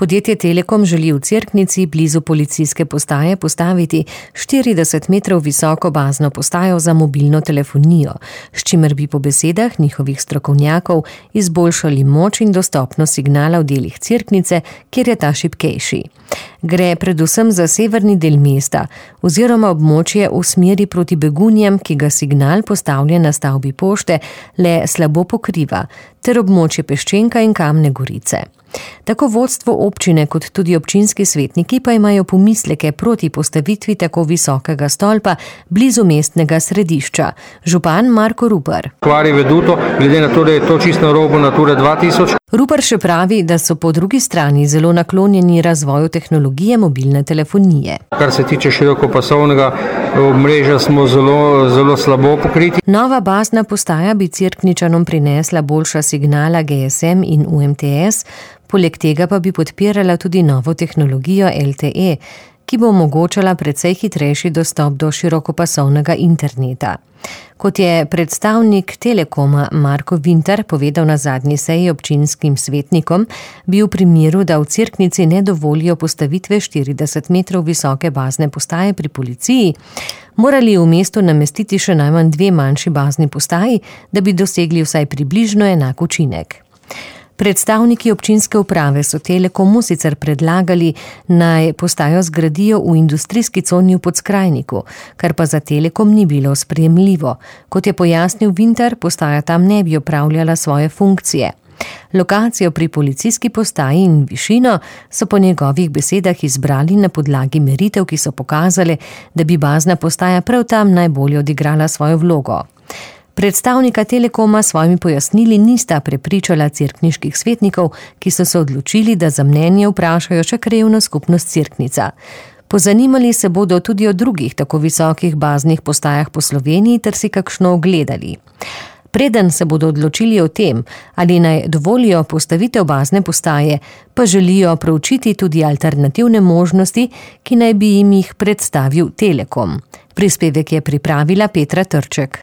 Podjetje Telekom želi v Cerknici blizu policijske postaje postaviti 40 metrov visoko bazno postajo za mobilno telefonijo, s čimer bi po besedah njihovih strokovnjakov izboljšali moč in dostopnost signala v delih Cerknice, kjer je ta šibkejši. Gre predvsem za severni del mesta oziroma območje v smeri proti Begunjem, ki ga signal postavljen na stavbi pošte le slabo pokriva, ter območje Peščenka in Kamne Gorice. Tako vodstvo občine kot tudi občinski svetniki pa imajo pomisleke proti postavitvi tako visokega stolpa blizu mestnega središča. Župan Marko Rupar. Kvari veduto, glede na to, da je to čisto na robu Nature 2000. Rupar še pravi, da so po drugi strani zelo naklonjeni razvoju tehnologije mobilne telefonije. Kar se tiče širokopasovnega omrežja, smo zelo slabo pokriti. Nova bazna postaja bi Cerkničanom prinesla boljša signala GSM in UMTS, poleg tega pa bi podpirala tudi novo tehnologijo LTE, ki bo omogočala precej hitrejši dostop do širokopasovnega interneta. Kot je predstavnik Telekoma Marko Vintar povedal na zadnji seji občinskim svetnikom, bi v primeru, da v Cerknici ne dovolijo postavitve 40 metrov visoke bazne postaje pri policiji, morali v mestu namestiti še najmanj 2 manjši bazni postaji, da bi dosegli vsaj približno enak učinek. Predstavniki občinske uprave so Telekomu sicer predlagali, naj postajo zgradijo v industrijski coni v Podskrajniku, kar pa za Telekom ni bilo sprejemljivo. Kot je pojasnil Vintar, postaja tam ne bi opravljala svoje funkcije. Lokacijo pri policijski postaji in višino so po njegovih besedah izbrali na podlagi meritev, ki so pokazale, da bi bazna postaja prav tam najbolje odigrala svojo vlogo. Predstavnika Telekoma svojimi pojasnili nista prepričala cerkniških svetnikov, ki so se odločili, da za mnenje vprašajo še krajevno skupnost Cerknica. Pozanimali se bodo tudi o drugih tako visokih baznih postajah po Sloveniji ter si kakšno ogledali. Preden se bodo odločili o tem, ali naj dovolijo postavitev bazne postaje, pa želijo proučiti tudi alternativne možnosti, ki naj bi jim jih predstavil Telekom. Prispevek je pripravila Petra Trček.